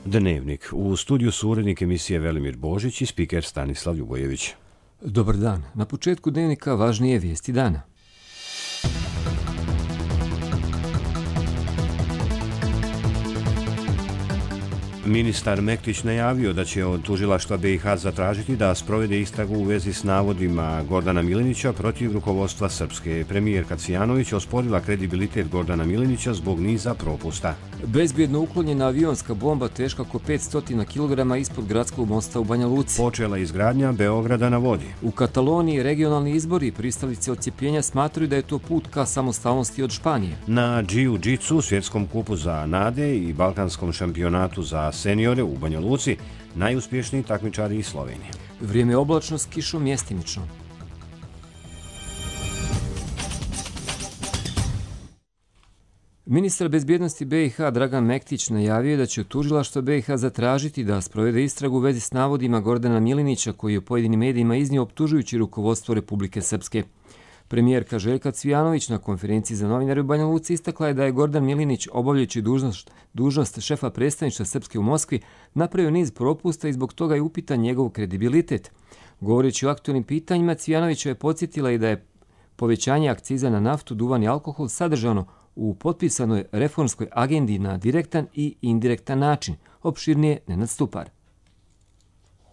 Dnevnik. U studiju su urednik emisije Velimir Božić i spiker Stanislav Ljubojević. Dobar dan. Na početku Dnevnika važnije vijesti dana. Ministar Mektić najavio da će od tužilaštva BiH zatražiti da sprovede istragu u vezi s navodima Gordana Milinića protiv rukovodstva Srpske. Premijerka Cvijanović osporila kredibilitet Gordana Milinića zbog niza propusta. Bezbjedno uklonjena avionska bomba teška oko 500 kg ispod gradskog mosta u Banja Luci. Počela izgradnja Beograda na vodi. U Kataloniji regionalni izbori pristalice odcijepljenja smatraju da je to put ka samostalnosti od Španije. Na džiu-džitsu, svjetskom kupu za nade i balkanskom šampionatu za seniore u Banja Luci, najuspješniji takmičari iz Slovenije. Vrijeme je oblačno s kišom mjestimično. Ministar bezbjednosti BiH Dragan Mektić najavio da će od tužilaštva BiH zatražiti da sprovede istragu u vezi s navodima Gordana Milinića koji je u pojedinim medijima iznio optužujući rukovodstvo Republike Srpske. Premijerka Željka Cvijanović na konferenciji za novinare u Banja Luci istakla je da je Gordan Milinić, obavljajući dužnost šefa predstavništva Srpske u Moskvi, napravio niz propusta i zbog toga je upitan njegov kredibilitet. Govoreći o aktualnim pitanjima, Cvijanović je podsjetila i da je povećanje akciza na naftu, duvan i alkohol sadržano u potpisanoj reformskoj agendi na direktan i indirektan način. Opširnije Nenad Stupar.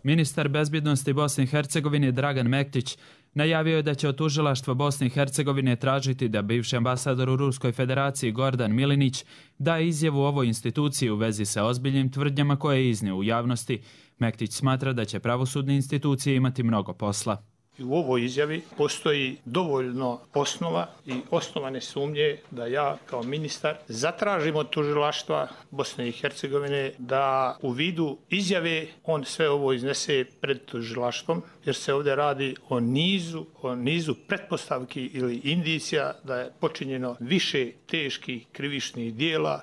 Ministar bezbjednosti Bosne i Hercegovine Dragan Mektić najavio je da će od tužilaštva Bosne i Hercegovine tražiti da bivši ambasador u Ruskoj federaciji Gordan Milinić da izjavu ovoj instituciji u vezi sa ozbiljnim tvrdnjama koje je iznio u javnosti. Mektić smatra da će pravosudne institucije imati mnogo posla. U ovoj izjavi postoji dovoljno osnova i osnovane sumnje da ja kao ministar zatražim od tužilaštva Bosne i Hercegovine da u vidu izjave on sve ovo iznese pred tužilaštvom, jer se ovdje radi o nizu pretpostavki ili indicija da je počinjeno više teških krivičnih dijela.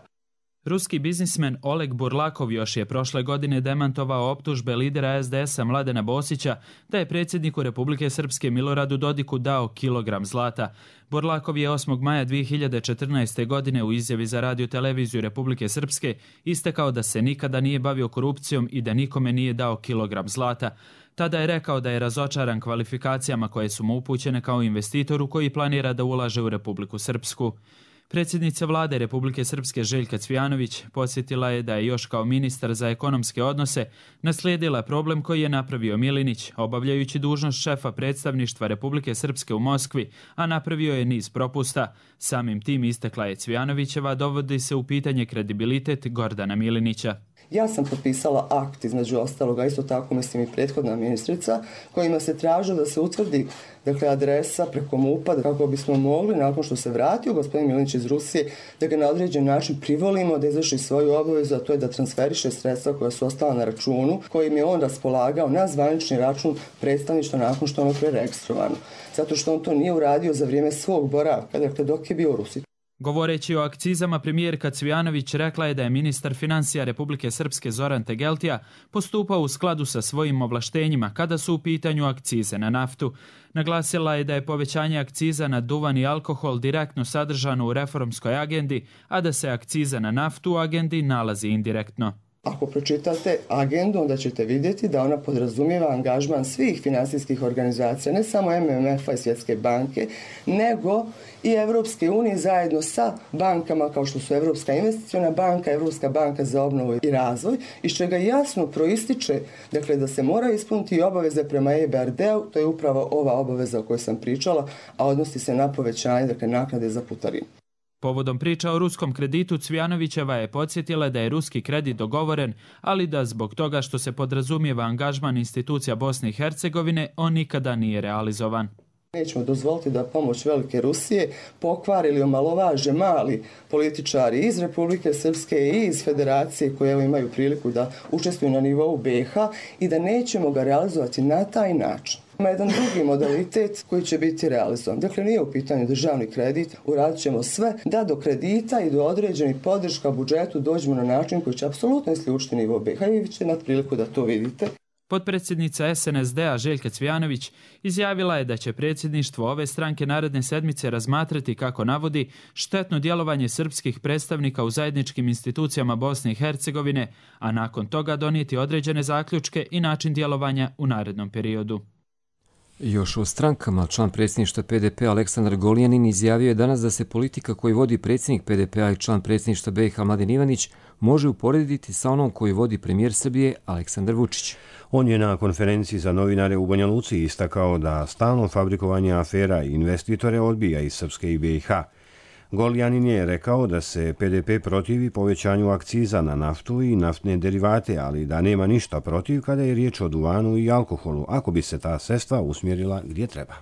Ruski biznismen Oleg Burlakov još je prošle godine demantovao optužbe lidera SDS-a Mladena Bosića da je predsjedniku Republike Srpske Miloradu Dodiku dao kilogram zlata. Burlakov je 8. maja 2014. godine u izjavi za radio-televiziju Republike Srpske istakao da se nikada nije bavio korupcijom i da nikome nije dao kilogram zlata. Tada je rekao da je razočaran kvalifikacijama koje su mu upućene kao investitoru koji planira da ulaže u Republiku Srpsku. Predsjednica vlade Republike Srpske Željka Cvijanović podsjetila je da je još kao ministar za ekonomske odnose naslijedila problem koji je napravio Milinić, obavljajući dužnost šefa predstavništva Republike Srpske u Moskvi, a napravio je niz propusta. Samim tim, istakla je Cvijanovićeva, dovodi se u pitanje kredibilitet Gordana Milinića. Ja sam potpisala akt, između ostaloga, isto tako mislim i prethodna ministrica, kojima se tražilo da se utvrdi adresa preko MUP-a kako bismo mogli, nakon što se vratio gospodin Milinić iz Rusije, da ga na određen način privolimo da izvrši svoju obavezu, a to je da transferiše sredstva koja su ostala na računu, kojim je on raspolagao na zvanični račun predstavništva nakon što ono preregistrovano. Zato što on to nije uradio za vrijeme svog boravka, dok je bio u Rusiji. Govoreći o akcizama, premijerka Cvijanović rekla je da je ministar financija Republike Srpske Zoran Tegeltija postupao u skladu sa svojim ovlaštenjima kada su u pitanju akcize na naftu. Naglasila je da je povećanje akciza na duvan i alkohol direktno sadržano u reformskoj agendi, a da se akciza na naftu u agendi nalazi indirektno. Ako pročitate agendu, onda ćete vidjeti da ona podrazumijeva angažman svih financijskih organizacija, ne samo MMF-a i Svjetske banke, nego i Evropske unije zajedno sa bankama kao što su Evropska investiciona banka, Evropska banka za obnovu i razvoj, iz čega jasno proističe da se moraju ispuniti i obaveze prema EBRD-u, to je upravo ova obaveza o kojoj sam pričala, a odnosi se na povećanje naknade za putarinu. Povodom priča o ruskom kreditu, Cvijanovićeva je podsjetila da je ruski kredit dogovoren, ali da zbog toga što se podrazumijeva angažman institucija Bosne i Hercegovine, on nikada nije realizovan. Nećemo dozvoliti da pomoć velike Rusije pokvari ili omalovaže mali političari iz Republike Srpske i iz Federacije koje imaju priliku da učestvuju na nivou BiH i da nećemo ga realizovati na taj način. Ima jedan drugi modalitet koji će biti realizovan. Dakle, nije u pitanju državni kredit, uradit ćemo sve da do kredita i do određenih podrška budžetu dođemo na način koji će apsolutno isključiti nivo BiH i vi ćete imati priliku da to vidite. Potpredsjednica SNSD-a Željka Cvijanović izjavila je da će predsjedništvo ove stranke naredne sedmice razmatrati, kako navodi, štetno djelovanje srpskih predstavnika u zajedničkim institucijama Bosne i Hercegovine, a nakon toga donijeti određene zaključke i način djelovanja u narednom periodu. Još o strankama, član predsjedništva PDP Aleksandar Goljanin izjavio je danas da se politika koju vodi predsjednik PDP-a i član predsjedništva BiH Mladen Ivanić može uporediti sa onom koju vodi premijer Srbije Aleksandar Vučić. On je na konferenciji za novinare u Banja Luci istakao da stalno fabrikovanje afera i investitore odbija iz Srpske i BiH. Goljanin je rekao da se PDP protivi povećanju akciza na naftu i naftne derivate, ali da nema ništa protiv kada je riječ o duvanu i alkoholu, ako bi se ta sredstva usmjerila gdje treba.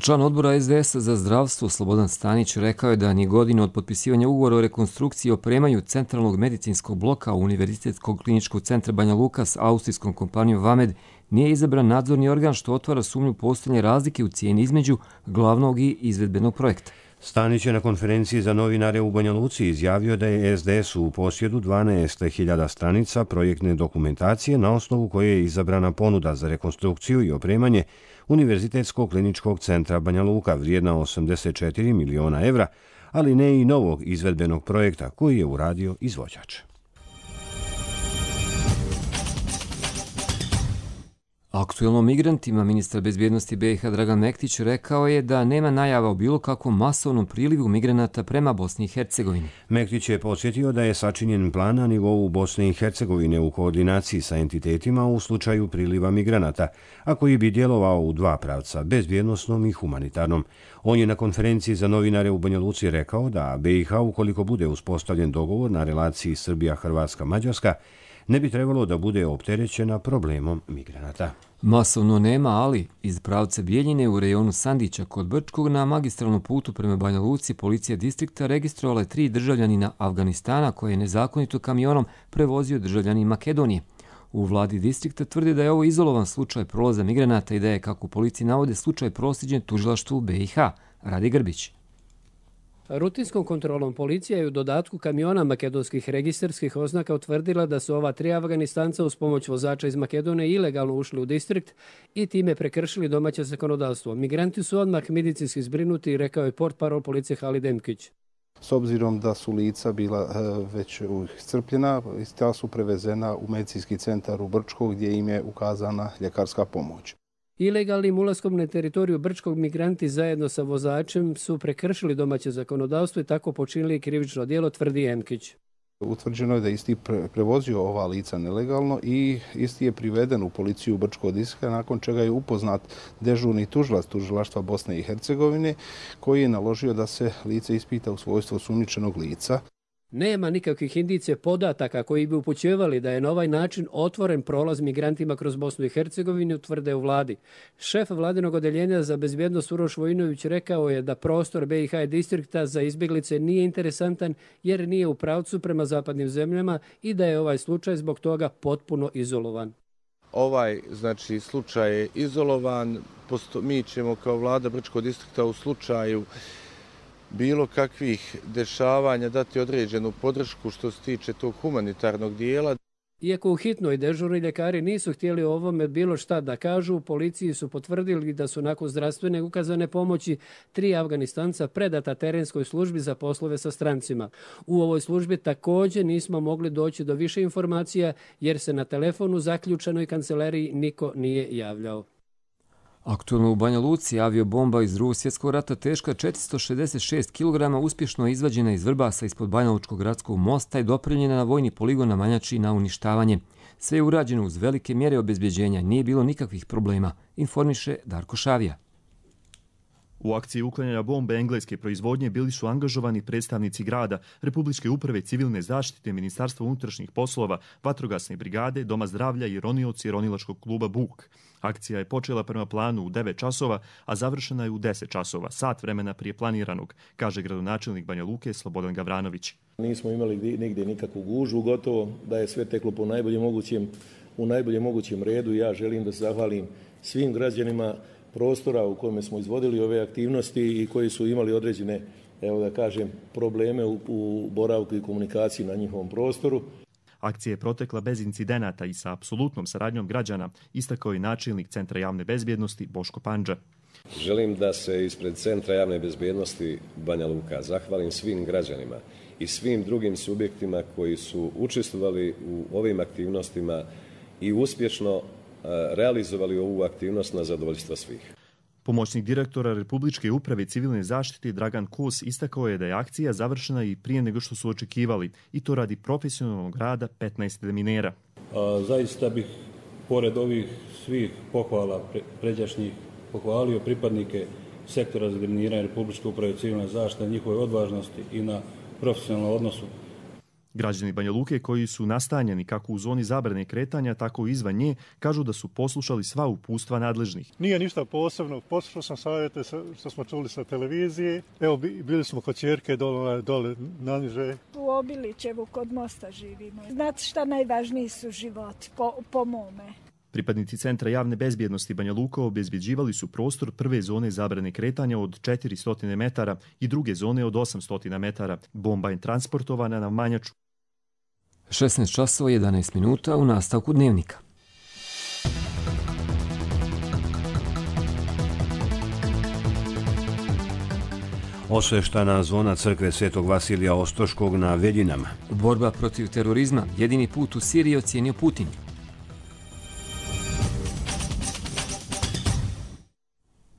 Član odbora SDS za zdravstvo Slobodan Stanić rekao je da ni godine od potpisivanja ugovora o rekonstrukciji i opremanju centralnog medicinskog bloka Univerzitetskog kliničkog centra Banja Luka s austrijskom kompanijom Vamed nije izabran nadzorni organ, što otvara sumnju postojanja razlike u cijeni između glavnog i izvedbenog projekta. Stanić je na konferenciji za novinare u Banja Luci izjavio da je SDS u posjedu 12.000 stranica projektne dokumentacije na osnovu koje je izabrana ponuda za rekonstrukciju i opremanje Univerzitetskog kliničkog centra Banja Luka vrijedna 84 miliona evra, ali ne i novog izvedbenog projekta koji je uradio izvođač. Aktuelno migrantima ministar bezbjednosti BiH Dragan Mektić rekao je da nema najava o bilo kakvom masovnom prilivu migranata prema Bosni i Hercegovini. Mektić je podsjetio da je sačinjen plan na nivou Bosne i Hercegovine u koordinaciji sa entitetima u slučaju priliva migranata, a koji bi djelovao u dva pravca, bezbjednosnom i humanitarnom. On je na konferenciji za novinare u Banja Luci rekao da BiH, ukoliko bude uspostavljen dogovor na relaciji Srbija-Hrvatska-Mađarska, ne bi trebalo da bude opterećena problemom migranata. Masovno nema, ali iz pravca Bijeljine u rejonu Sandića kod Brčkog na magistralnom putu prema Banja Luci policija distrikta registrovala je 3 državljanina Afganistana koje je nezakonito kamionom prevozio državljanin Makedonije. U vladi distrikta tvrde da je ovo izolovan slučaj prolaza migranata i da je, kako policiji navode, slučaj proslijeđen tužilaštvu BiH. Radi Grbić. Rutinskom kontrolom policija je u dodatku kamiona makedonskih registarskih oznaka utvrdila da su ova 3 Afganistanca uz pomoć vozača iz Makedonije ilegalno ušli u distrikt i time prekršili domaće zakonodavstvo. Migranti su odmah medicinski zbrinuti, rekao je portparol policije Halid Demkić. S obzirom da su lica bila već iscrpljena, ta su prevezena u medicinski centar u Brčko gdje im je ukazana ljekarska pomoć. Ilegalnim ulaskom na teritoriju Brčkog migranti zajedno sa vozačem su prekršili domaće zakonodavstvo i tako počinili krivično djelo, tvrdi Emkić. Utvrđeno je da isti prevozio ova lica nelegalno i isti je priveden u policiju Brčkog distrikta, nakon čega je upoznat dežurni tužilac tužilaštva Bosne i Hercegovine koji je naložio da se lice ispita u svojstvu osumnjičenog lica. Nema nikakvih indicije podataka koji bi upućivali da je na ovaj način otvoren prolaz migrantima kroz Bosnu i Hercegovinu, tvrde u vladi. Šef vladinog odeljenja za bezbjednost Uroš Vojinović rekao je da prostor BiH distrikta za izbjeglice nije interesantan jer nije u pravcu prema zapadnim zemljama i da je ovaj slučaj zbog toga potpuno izolovan. Ovaj slučaj je izolovan. Mi ćemo kao vlada Brčkog distrikta u slučaju bilo kakvih dešavanja dati određenu podršku što se tiče tog humanitarnog dijela. Iako u hitnoj dežurni ljekari nisu htjeli o ovome bilo šta da kažu, policiji su potvrdili da su nakon zdravstvene ukazane pomoći 3 Afganistanca predata terenskoj službi za poslove sa strancima. U ovoj službi također nismo mogli doći do više informacija jer se na telefonu zaključanoj kancelariji niko nije javljao. Aktualno u Banja Luci aviobomba iz Drugog svjetskog rata teška 466 kg uspješno izvađena iz Vrbasa ispod Banja Lučkog gradskog mosta i dopremljena na vojni poligon na Manjači na uništavanje. Sve je urađeno uz velike mjere obezbjeđenja, nije bilo nikakvih problema, informiše Darko Šavija. U akciji uklanjanja bombe engleske proizvodnje bili su angažovani predstavnici grada, Republičke uprave civilne zaštite, Ministarstva unutrašnjih poslova, vatrogasne brigade, Doma zdravlja i ronioci ronilačkog kluba Buk. Akcija je počela prema planu u 9 časova, a završena je u 10 časova, sat vremena prije planiranog, kaže gradonačelnik Banja Luke Slobodan Gavranović. Nismo imali nigdje nikakvu gužu, gotovo da je sve teklo po najboljem mogućem redu. Ja želim da se zahvalim svim građanima prostora u kojem smo izvodili ove aktivnosti i koji su imali određene, probleme u boravku i komunikaciji na njihovom prostoru. Akcija je protekla bez incidenata i sa apsolutnom saradnjom građana, istakao je načelnik Centra javne bezbjednosti Boško Pandža. Želim da se ispred Centra javne bezbjednosti Banja Luka zahvalim svim građanima i svim drugim subjektima koji su učestvovali u ovim aktivnostima i uspješno realizovali ovu aktivnost na zadovoljstvo svih. Pomoćnik direktora Republičke uprave civilne zaštite Dragan Kos istakao je da je akcija završena i prije nego što su očekivali, i to radi profesionalnog rada 15 deminera. Zaista bih, pored ovih svih pohvala pređašnjih, pohvalio pripadnike sektora za deminiranje Republičke uprave civilne zaštite, njihove odvažnosti i na profesionalnom odnosu. Građani Banja Luke koji su nastanjeni kako u zoni zabrane kretanja, tako i izvan nje, kažu da su poslušali sva uputstva nadležnih. Nije ništa posebno, poslušao sam savjete što smo čuli sa televizije. Evo, bili smo kod ćerke dole naniže. U Obilićevu kod mosta živimo. Znate šta najvažniji su životi, po mome. Pripadnici Centra javne bezbjednosti Banja Luka obezbjeđivali su prostor prve zone zabrane kretanja od 400 metara i druge zone od 800 metara. Bomba je transportovana na Manjaču. 16 časova 11 minuta u nastavku dnevnika. Osveštana zona crkve Svetog Vasilija Ostroškog na Veljinama. Borba protiv terorizma, jedini put u Siriji, ocijenio Putin.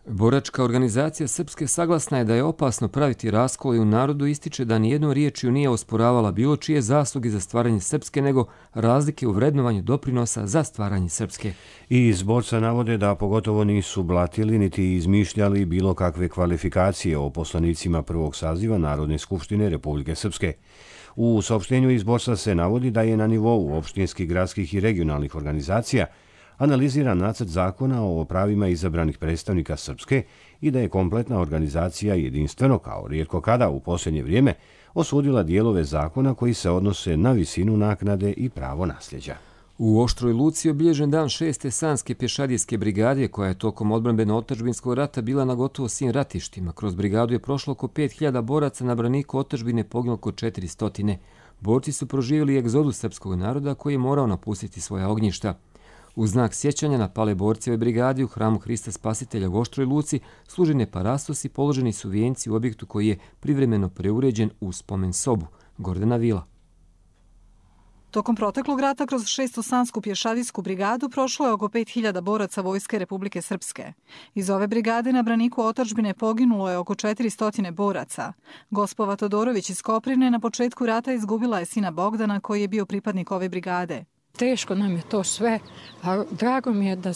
Boračka organizacija Srpske saglasna je da je opasno praviti raskol i u narodu ističe da nijednom riječju nije osporavala bilo čije zasluge za stvaranje Srpske, nego razlike u vrednovanju doprinosa za stvaranje Srpske. I iz borca navode da pogotovo nisu blatili niti izmišljali bilo kakve kvalifikacije o poslanicima prvog saziva Narodne skupštine Republike Srpske. U saopštenju iz borca se navodi da je na nivou opštinskih, gradskih i regionalnih organizacija analiziran nacrt zakona o pravima izabranih predstavnika Srpske i da je kompletna organizacija jedinstveno, kao rijetko kada u posljednje vrijeme, osudila dijelove zakona koji se odnose na visinu naknade i pravo nasljeđa. U Oštroj Luci je obilježen dan 6. Sanske pješadijske brigade, koja je tokom odbrambeno-otadžbinskog rata bila na gotovo svim ratištima. Kroz brigadu je prošlo oko 5000 boraca, na braniku otadžbine poginulo oko 400. Borci su proživjeli egzodus srpskog naroda koji je morao napustiti svoja ognjišta. U znak sjećanja na pale borceve brigadi u hramu Hrista Spasitelja u Oštroj Luci služene parastos i položeni su vijenci u objektu koji je privremeno preuređen u spomen sobu. Gordana Vila. Tokom proteklog rata kroz 6. Sansku pješadijsku brigadu prošlo je oko 5000 boraca Vojske Republike Srpske. Iz ove brigade na braniku otadžbine poginulo je oko 400 boraca. Gospova Todorović iz Koprivne na početku rata izgubila je sina Bogdana koji je bio pripadnik ove brigade. Teško nam je to sve, a drago mi je da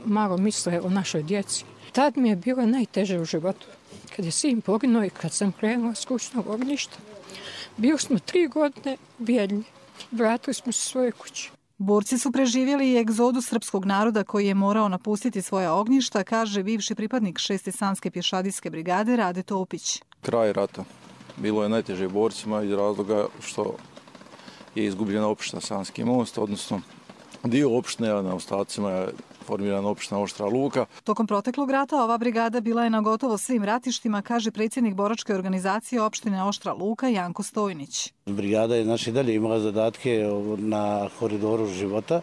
malo misle o našoj djeci. Tad mi je bilo najteže u životu. Kad je sin poginuo i kad sam krenula s kućnog ognjišta, bili smo 3 godine bijedni. Vratili smo se svoje kuće. Borci su preživjeli i egzodu srpskog naroda koji je morao napustiti svoja ognjišta, kaže bivši pripadnik 6. Sanske pješadijske brigade Rade Topić. Kraj rata. Bilo je najteže borcima iz razloga što je izgubljena opština Sanski most, odnosno dio opštine, a na ostacima je formirana opština Oštra Luka. Tokom proteklog rata ova brigada bila je na gotovo svim ratištima, kaže predsjednik boračke organizacije opštine Oštra Luka Janko Stojnić. Brigada je dalje imala zadatke na koridoru života,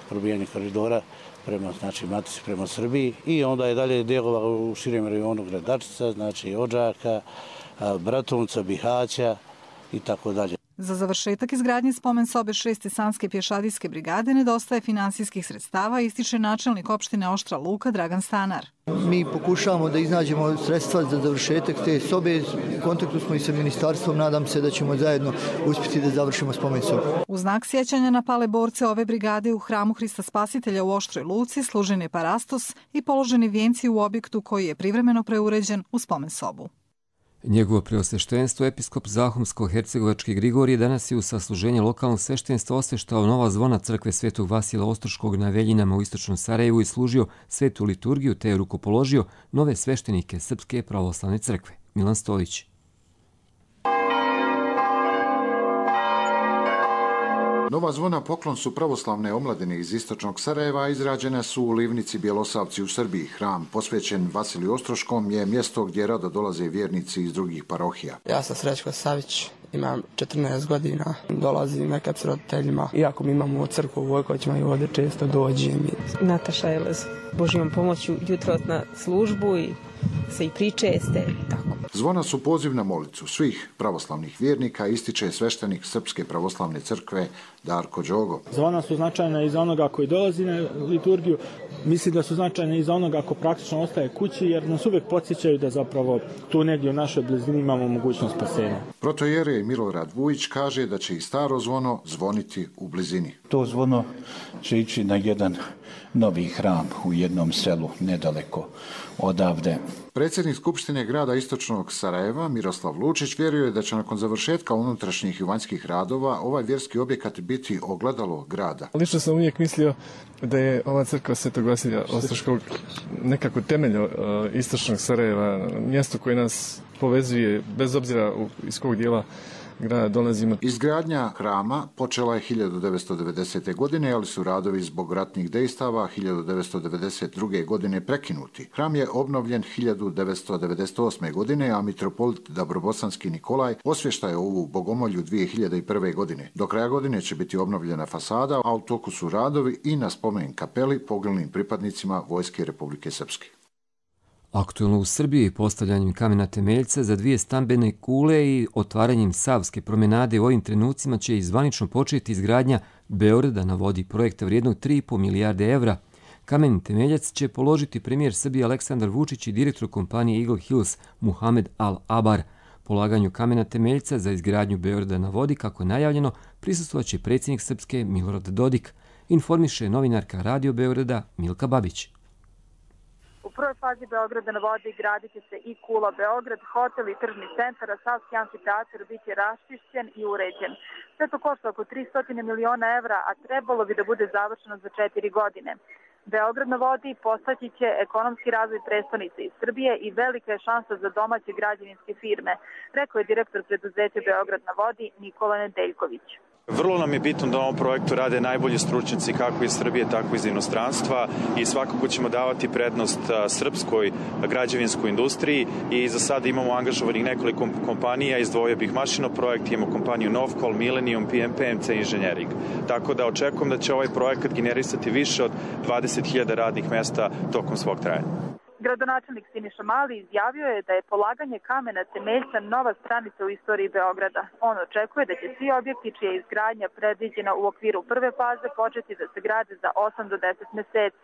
probijanje koridora prema Matici, prema Srbiji, i onda je dalje djelovala u širem rejonu Gradačica, Odžaka, Bratunca, Bihaća i tako dalje. Za završetak izgradnje spomen sobe 6. Sanske pješadijske brigade nedostaje finansijskih sredstava, ističe načelnik opštine Oštra Luka Dragan Stanar. Mi pokušavamo da iznađemo sredstva za završetak te sobe. U kontaktu smo i sa ministarstvom, nadam se da ćemo zajedno uspjeti da završimo spomen sobu. U znak sjećanja na pale borce ove brigade u hramu Hrista Spasitelja u Oštroj Luci služen je parastos i položeni vijenci u objektu koji je privremeno preuređen u spomen sobu. Njegovo preosveštenstvo, episkop Zahumsko-hercegovački Grigorije, danas je u sasluženje lokalnog sveštenstva osveštao nova zvona crkve Svetog Vasila Ostroškog na Veljinama u istočnom Sarajevu i služio svetu liturgiju te je rukopoložio nove sveštenike Srpske pravoslavne crkve. Milan Stolić. Nova zvona poklon su pravoslavne omladine iz istočnog Sarajeva, izrađene su u livnici Bjelosavci u Srbiji. Hram posvećen Vasiliju Ostroškom je mjesto gdje rado dolaze vjernici iz drugih parohija. Ja sam Srećko Savić, imam 14 godina, dolazim nekad s roditeljima. Iako mi imamo crkvu u Vojkoćima i ovdje često dođem. Nataša Jelez, Božjom pomoću jutro na službu i se i pričeste. Tako. Zvona su poziv na molitvu svih pravoslavnih vjernika, ističe sveštenik Srpske pravoslavne crkve Darko Đogo. Zvona su značajna i za onoga koji dolazi na liturgiju, mislim da su značajne i za onoga ko praktično ostaje kući, jer nas uvijek podsjećaju da zapravo tu negdje u našoj blizini imamo mogućnost spasenja. Protojerej Milorad Vujić kaže da će i staro zvono zvoniti u blizini. To zvono će ići na jedan novi hram u jednom selu nedaleko odavde. Predsjednik Skupštine grada Istočnog Sarajeva Miroslav Lučić vjeruje da će nakon završetka unutrašnjih i vanjskih radova ovaj vjerski objekat biti ogledalo grada. Lično sam uvijek mislio da je ova crkva Svetog Vasilija Ostroškog nekako temelj Istočnog Sarajeva, mjesto koje nas povezuje bez obzira iz kog dijela grada dolazimo. Izgradnja hrama počela je 1990. godine, ali su radovi zbog ratnih dejstava 1992. godine prekinuti. Hram je obnovljen 1998. godine, a mitropolit Dabrobosanski Nikolaj osvještaje ovu bogomolju 2001. godine. Do kraja godine će biti obnovljena fasada, a u toku su radovi i na spomen kapeli poginulim pripadnicima Vojske Republike Srpske. Aktualno u Srbiji postavljanjem kamena temeljca za 2 stambene kule i otvaranjem Savske promenade u ovim trenucima će zvanično početi izgradnja Beograda na vodi, projekta vrijednog 3,5 milijarde evra. Kamen temeljac će položiti premijer Srbije Aleksandar Vučić i direktor kompanije Eagle Hills Muhamed Al-Abar. Polaganju kamena temeljca za izgradnju Beograda na vodi, kako je najavljeno, prisustvovaće predsjednik Srpske Milorad Dodik, informiše novinarka Radio Beograda Milka Babić. U prvoj fazi Beograda na vodi gradit će se i Kula Beograd, hotel i tržni centar, a Savski amfiteatar biće raščišćen i uređen. Sve to košta oko 300 miliona evra, a trebalo bi da bude završeno za 4 godine. Beograd na vodi postaći će ekonomski razvoj prestonice iz Srbije i velika je šansa za domaće građevinske firme, rekao je direktor preduzeća Beograd na vodi Nikola Nedeljković. Vrlo nam je bitno da na ovom projektu rade najbolji stručnjaci kako iz Srbije, tako iz inostranstva i svakako ćemo davati prednost srpskoj građevinskoj industriji i za sada imamo angažovanih nekoliko kompanija, izdvojio bih Mašino projekt, imamo kompaniju Novcol, Millennium, PMC Engineering. Tako da očekujem da će ovaj projekat generisati više od 20.000 radnih mesta tokom svog trajanja. Gradonačelnik Siniša Mali izjavio je da je polaganje kamena temeljca nova stranica u istoriji Beograda. On očekuje da će svi objekti čija je izgradnja predviđena u okviru prve faze početi da se grade za 8 do 10 meseci.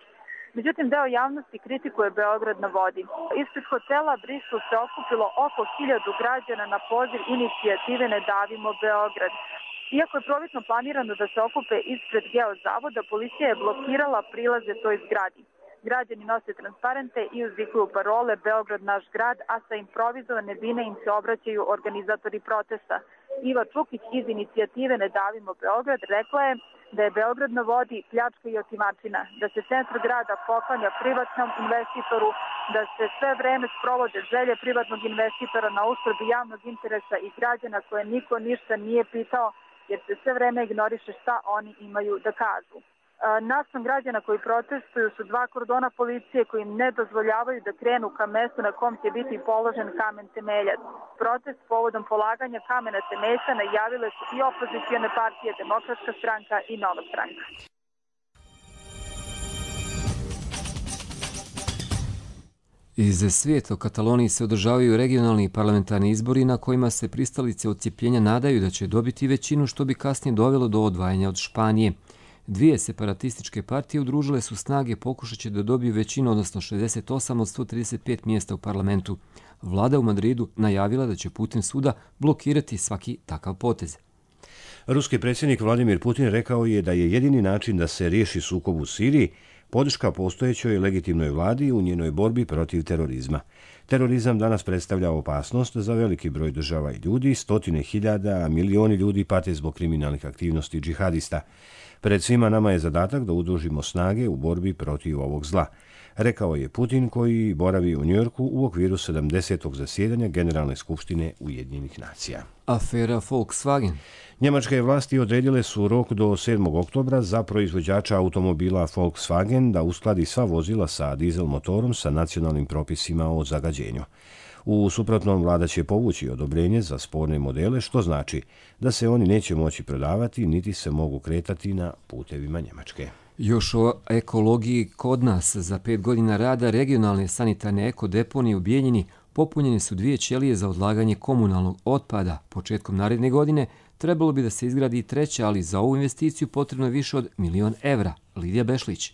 Međutim, deo javnosti kritikuje Beograd na vodi. Ispred hotela Bristol se okupilo oko 1000 građana na poziv inicijative Ne davimo Beograd. Iako je prvobitno planirano da se okupe ispred Geozavoda, policija je blokirala prilaze toj zgradi. Građani nose transparente i uzvikuju parole Beograd naš grad, a sa improvizovane bine im se obraćaju organizatori protesta. Iva Čukić iz inicijative Ne davimo Beograd rekla je da je Beograd na vodi pljačka i otimačina, da se centar grada poklanja privatnom investitoru, da se sve vreme sprovode želje privatnog investitora na uštrb javnog interesa i građana koje niko ništa nije pitao, jer se sve vreme ignoriše šta oni imaju da kažu. Naspram građana koji protestuju su 2 kordona policije koji im ne dozvoljavaju da krenu ka mestu na kom će biti položen kamen temeljac. Protest povodom polaganja kamena temeljca najavile su i opozicione partije Demokratska stranka i Nova stranka. Iz svijeta u Kataloniji se održavaju regionalni i parlamentarni izbori na kojima se pristalice odcijepljenja nadaju da će dobiti većinu, što bi kasnije dovelo do odvajanja od Španije. 2 separatističke partije udružile su snage, pokušat će da dobiju većinu, odnosno 68 od 135 mjesta u parlamentu. Vlada u Madridu najavila da će putem suda blokirati svaki takav potez. Ruski predsjednik Vladimir Putin rekao je da je jedini način da se riješi sukob u Siriji podrška postojećoj legitimnoj vladi u njenoj borbi protiv terorizma. Terorizam danas predstavlja opasnost za veliki broj država i ljudi, 100.000, a milioni ljudi pate zbog kriminalnih aktivnosti džihadista. Pred svima nama je zadatak da udružimo snage u borbi protiv ovog zla, rekao je Putin koji boravi u Njujorku u okviru 70. zasjedanja Generalne skupštine Ujedinjenih nacija. Afera Volkswagen. Njemačke vlasti odredile su rok do 7. oktobra za proizvođača automobila Volkswagen da uskladi sva vozila sa dizel motorom sa nacionalnim propisima o zagađenju. U suprotnom, vlada će povući odobrenje za sporne modele, što znači da se oni neće moći prodavati niti se mogu kretati na putevima Njemačke. Još o ekologiji kod nas. Za 5 godina rada regionalne sanitarne ekodeponije u Bijeljini popunjene su 2 ćelije za odlaganje komunalnog otpada. Početkom naredne godine trebalo bi da se izgradi 3, ali za ovu investiciju potrebno je više od 1.000.000 evra. Lidija Bešlić.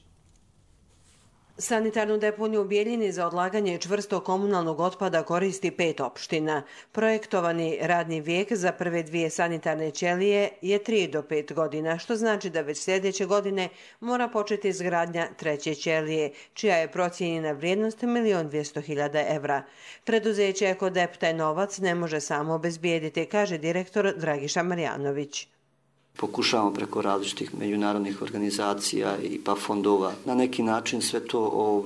Sanitarnu deponiju u Bijeljini za odlaganje čvrstog komunalnog otpada koristi 5 opština. Projektovani radni vijek za prve 2 sanitarne ćelije je 3 do 5 godina, što znači da već sljedeće godine mora početi izgradnja 3. ćelije, čija je procijenjena vrijednost 1.200.000 evra. Preduzeće Ekodep taj novac ne može samo obezbijediti, kaže direktor Dragiša Marjanović. Pokušavamo preko različitih međunarodnih organizacija i pa fondova na neki način sve to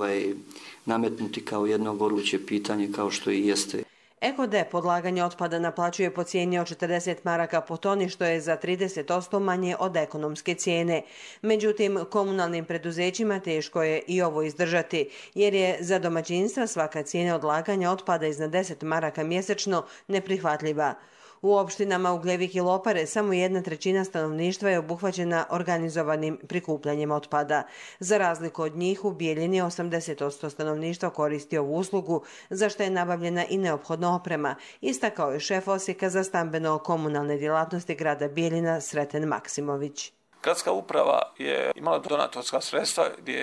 nametnuti kao jedno goruće pitanje kao što i jeste. Ekodep odlaganje otpada naplaćuje po cijeni od 40 maraka po toni, što je za 30% manje od ekonomske cijene. Međutim, komunalnim preduzećima teško je i ovo izdržati, jer je za domaćinstva svaka cijena odlaganja otpada iznad 10 maraka mjesečno neprihvatljiva. U opštinama Ugljevik i Lopare samo 1/3 stanovništva je obuhvaćena organizovanim prikupljanjem otpada. Za razliku od njih, u Bijeljini 80% stanovništva koristi ovu uslugu, za što je nabavljena i neophodna oprema, istakao je šef Osijeka za stambeno-komunalne djelatnosti grada Bijeljina Sreten Maksimović. Gradska uprava je imala donatorska sredstva gdje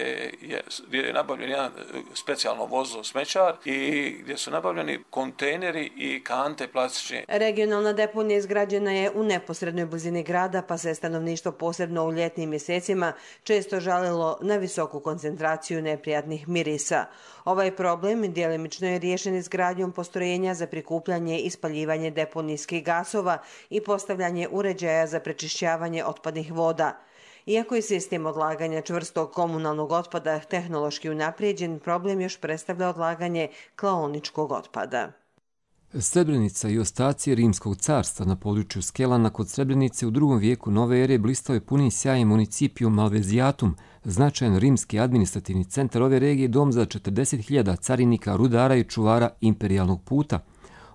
je nabavljen jedan specijalno vozilo smećar i gdje su nabavljeni kontejneri i kante plastične. Regionalna deponija izgrađena je u neposrednoj blizini grada, pa se stanovništvo posebno u ljetnim mjesecima često žalilo na visoku koncentraciju neprijatnih mirisa. Ovaj problem djelimično je riješen izgradnjom postrojenja za prikupljanje i spaljivanje deponijskih gasova i postavljanje uređaja za prečišćavanje otpadnih voda. Iako je sistem odlaganja čvrstog komunalnog otpada tehnološki unaprijeđen, problem još predstavlja odlaganje klaoničkog otpada. Srebrenica i ostaci Rimskog carstva na području Skelana kod Srebrenice u 2. vijeku nove ere blistao je punim sjajem Municipium Malveziatum, značajan rimski administrativni centar ove regije, dom za 40.000 carinika, rudara i čuvara imperijalnog puta.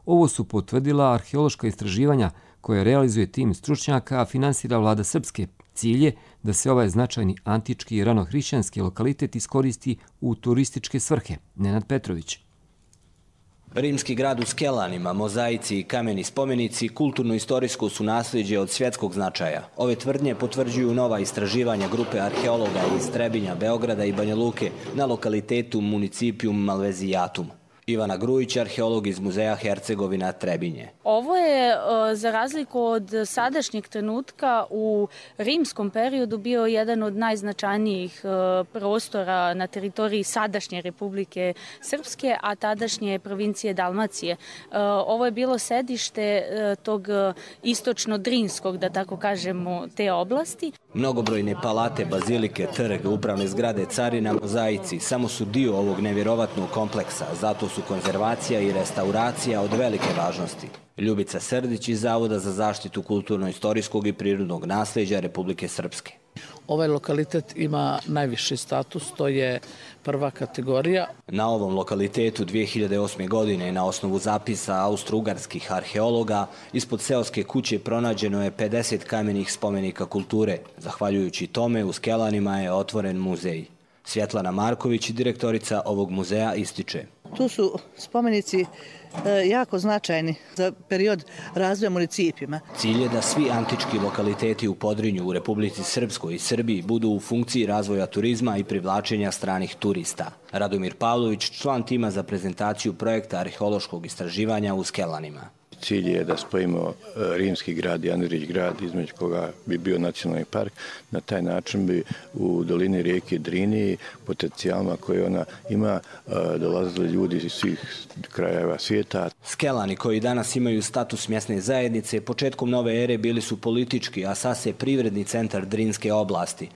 Ovo su potvrdila arheološka istraživanja koje realizuje tim stručnjaka, a finansira vlada Srpske. Cilj je da se ovaj značajni antički i ranohrišćanski lokalitet iskoristi u turističke svrhe. Nenad Petrović. Rimski grad u Skelanima, mozaici i kameni spomenici kulturno-istorijsko su nasljeđe od svjetskog značaja. Ove tvrdnje potvrđuju nova istraživanja grupe arheologa iz Trebinja, Beograda i Banja Luke na lokalitetu Municipium Malveziatum. Ivana Grujić, arheolog iz muzeja Hercegovina Trebinje. Ovo je, za razliku od sadašnjeg trenutka, u rimskom periodu bio jedan od najznačajnijih prostora na teritoriji sadašnje Republike Srpske, a tadašnje provincije Dalmacije. Ovo je bilo sedište tog istočno-drinskog, da tako kažemo, te oblasti. Mnogobrojne palate, bazilike, trg, upravne zgrade, carina, mozaici samo su dio ovog nevjerovatnog kompleksa, zato su konzervacija i restauracija od velike važnosti. Ljubica Srdić iz Zavoda za zaštitu kulturno-istorijskog i prirodnog nasljeđa Republike Srpske. Ovaj lokalitet ima najviši status, to je prva kategorija. Na ovom lokalitetu 2008. godine na osnovu zapisa austro-ugarskih arheologa ispod seoske kuće pronađeno je 50 kamenih spomenika kulture. Zahvaljujući tome u Skelanima je otvoren muzej. Svjetlana Marković, direktorica ovog muzeja, ističe. Tu su spomenici jako značajni za period razvoja municipima. Cilj je da svi antički lokaliteti u Podrinju, u Republici Srpskoj i Srbiji budu u funkciji razvoja turizma i privlačenja stranih turista. Radomir Pavlović, član tima za prezentaciju projekta arheološkog istraživanja u Skelanima. Cilj je da spojimo rimski grad i Andrić grad, između koga bi bio nacionalni park. Na taj način bi u dolini rijeke Drini, potencijalima koje ona ima, dolazili ljudi iz svih krajeva svijeta. Skelani, koji danas imaju status mjesne zajednice, početkom nove ere bili su politički, a sad se privredni centar Drinske oblasti.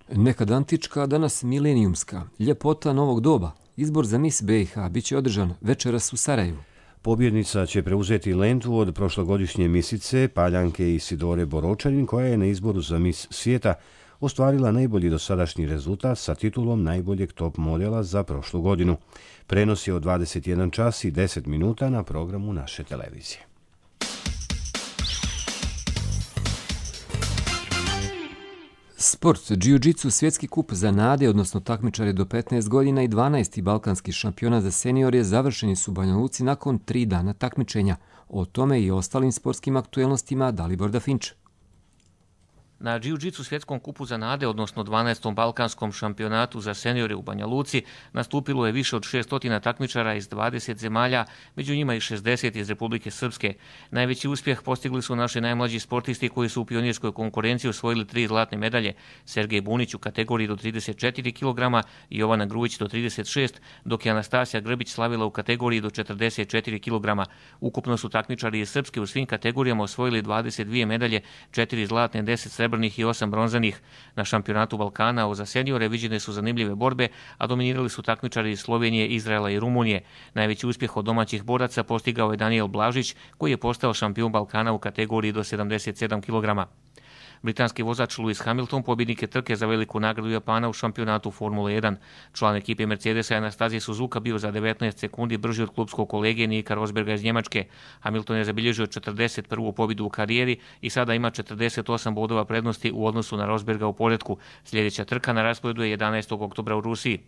Nekad antička, a danas milenijumska. Ljepota novog doba. Izbor za Miss BiH biće održan večeras u Sarajevu. Pobjednica će preuzeti lentu od prošlogodišnje misice Paljanke Isidore Boročanin, koja je na izboru za Miss svijeta ostvarila najbolji dosadašnji rezultat sa titulom najboljeg top modela za prošlu godinu. Prenos je od 21 čas i 10 minuta na programu naše televizije. Sport, jiu-jitsu, svjetski kup za nade, odnosno takmičare do 15 godina i 12. balkanski šampiona za seniore završeni su u Banja Luci nakon 3 dana takmičenja. O tome i ostalim sportskim aktuelnostima Dalibor Dafinč. Na jiu-jitsu svjetskom kupu za nade, odnosno 12. balkanskom šampionatu za seniore u Banja Luci, nastupilo je više od 600 takmičara iz 20 zemalja, među njima i 60 iz Republike Srpske. Najveći uspjeh postigli su naši najmlađi sportisti koji su u pionirskoj konkurenciji osvojili 3 zlatne medalje: Sergej Bunić u kategoriji do 34 kg i Jovana Grujić do 36, dok je Anastasija Grbić slavila u kategoriji do 44 kg. Ukupno su takmičari iz Srpske u svim kategorijama osvojili 22 medalje, 4 zlatne, 10 srebrnih i 8 bronzanih. Na šampionatu Balkana za seniore viđene su zanimljive borbe, a dominirali su takmičari iz Slovenije, Izraela i Rumunije. Najveći uspjeh od domaćih boraca postigao je Daniel Blažić, koji je postao šampion Balkana u kategoriji do 77 kg. Britanski vozač Lewis Hamilton pobjednik je trke za veliku nagradu Japana u šampionatu Formule 1. Član ekipe Mercedesa Anastazije Suzuka bio za 19 sekundi brži od klubskog kolege Nika Rosberga iz Njemačke. Hamilton je zabilježio 41. pobjedu u karijeri i sada ima 48 bodova prednosti u odnosu na Rosberga u poretku. Sljedeća trka na rasporedu je 11. oktobra u Rusiji.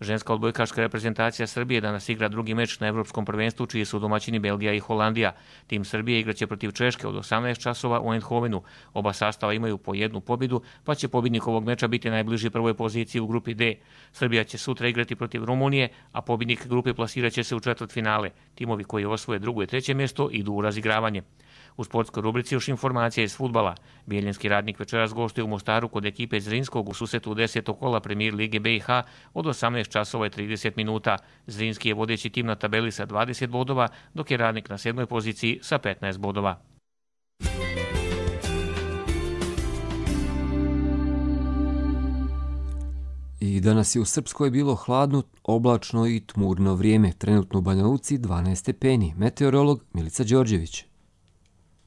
Ženska odbojkaška reprezentacija Srbije danas igra drugi meč na Evropskom prvenstvu, čiji su domaćini Belgija i Holandija. Tim Srbije igraće protiv Češke od 18 časova u Eindhovenu. Oba sastava imaju po jednu pobjedu, pa će pobjednik ovog meča biti najbliži prvoj poziciji u grupi D. Srbija će sutra igrati protiv Rumunije, a pobjednik grupe plasirat će se u četvrtfinale. Timovi koji osvoje drugo i treće mjesto idu u razigravanje. U sportskoj rubrici još informacija iz fudbala. Bijeljinski Radnik večeras gostuje u Mostaru kod ekipe Zrinskog u susretu 10. kola Premier Lige BiH od 18 časova i 30 minuta. Zrinski je vodeći tim na tabeli sa 20 bodova, dok je Radnik na 7. poziciji sa 15 bodova. I danas je u Srpskoj bilo hladno, oblačno i tmurno vrijeme. Trenutno u Banja Luci 12 stepeni. Meteorolog Milica Đorđević.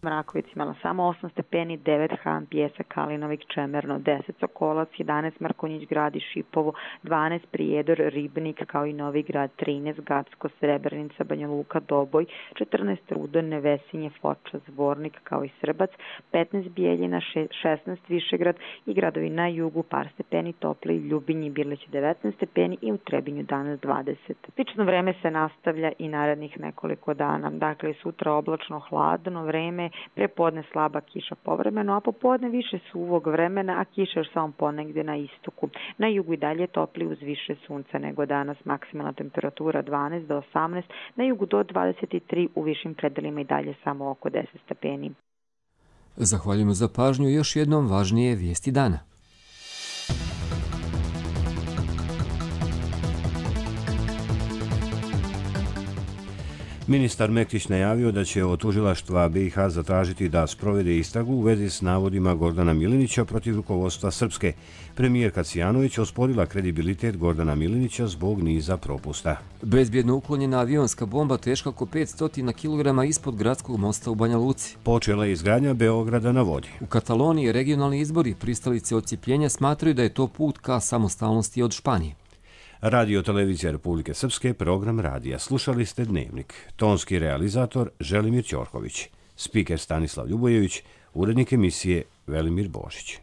Mrakovic imala samo 8 stepeni, 9 Han, Pjesak, Kalinovik, Čemerno, 10 Sokolac, 11 Markonjić Grad i Šipovo, 12 Prijedor, Ribnik, kao i Novi Grad, 13 Gacko, Srebrenica, Banja Luka, Doboj, 14 Rudo, Nevesinje, Foča, Zvornik, kao i Srbac, 15 Bijeljina, 16 Višegrad i gradovi na jugu par stepeni topli, Ljubinji, Birlić 19 stepeni i u Trebinju danas 20. Slično vreme se nastavlja i narednih nekoliko dana. Dakle, sutra oblačno hladno vreme, prepodne slaba kiša povremeno, a popodne više suvog vremena, a kiša još samo ponegdje na istoku. Na jugu i dalje topli uz više sunca nego danas, maksimalna temperatura 12 do 18, na jugu do 23, u višim predelima i dalje samo oko 10 stepeni. Zahvaljujemo za pažnju i još jednom važnije vijesti dana. Ministar Mektić najavio da će od tužilaštva BiH zatražiti da sprovede istragu u vezi s navodima Gordana Milinića protiv rukovodstva Srpske. Premijerka Cijanović osporila kredibilitet Gordana Milinića zbog niza propusta. Bezbjedno uklonjena avionska bomba teška oko 500 kg ispod gradskog mosta u Banja Luci. Počela je izgradnja Beograda na vodi. U Kataloniji regionalni izbori pristalice odcijepljenja smatraju da je to put ka samostalnosti od Španije. Radio Televizija Republike Srpske, program radija. Slušali ste Dnevnik. Tonski realizator Želimir Ćorković. Spiker Stanislav Ljubojević. Urednik emisije Velimir Božić.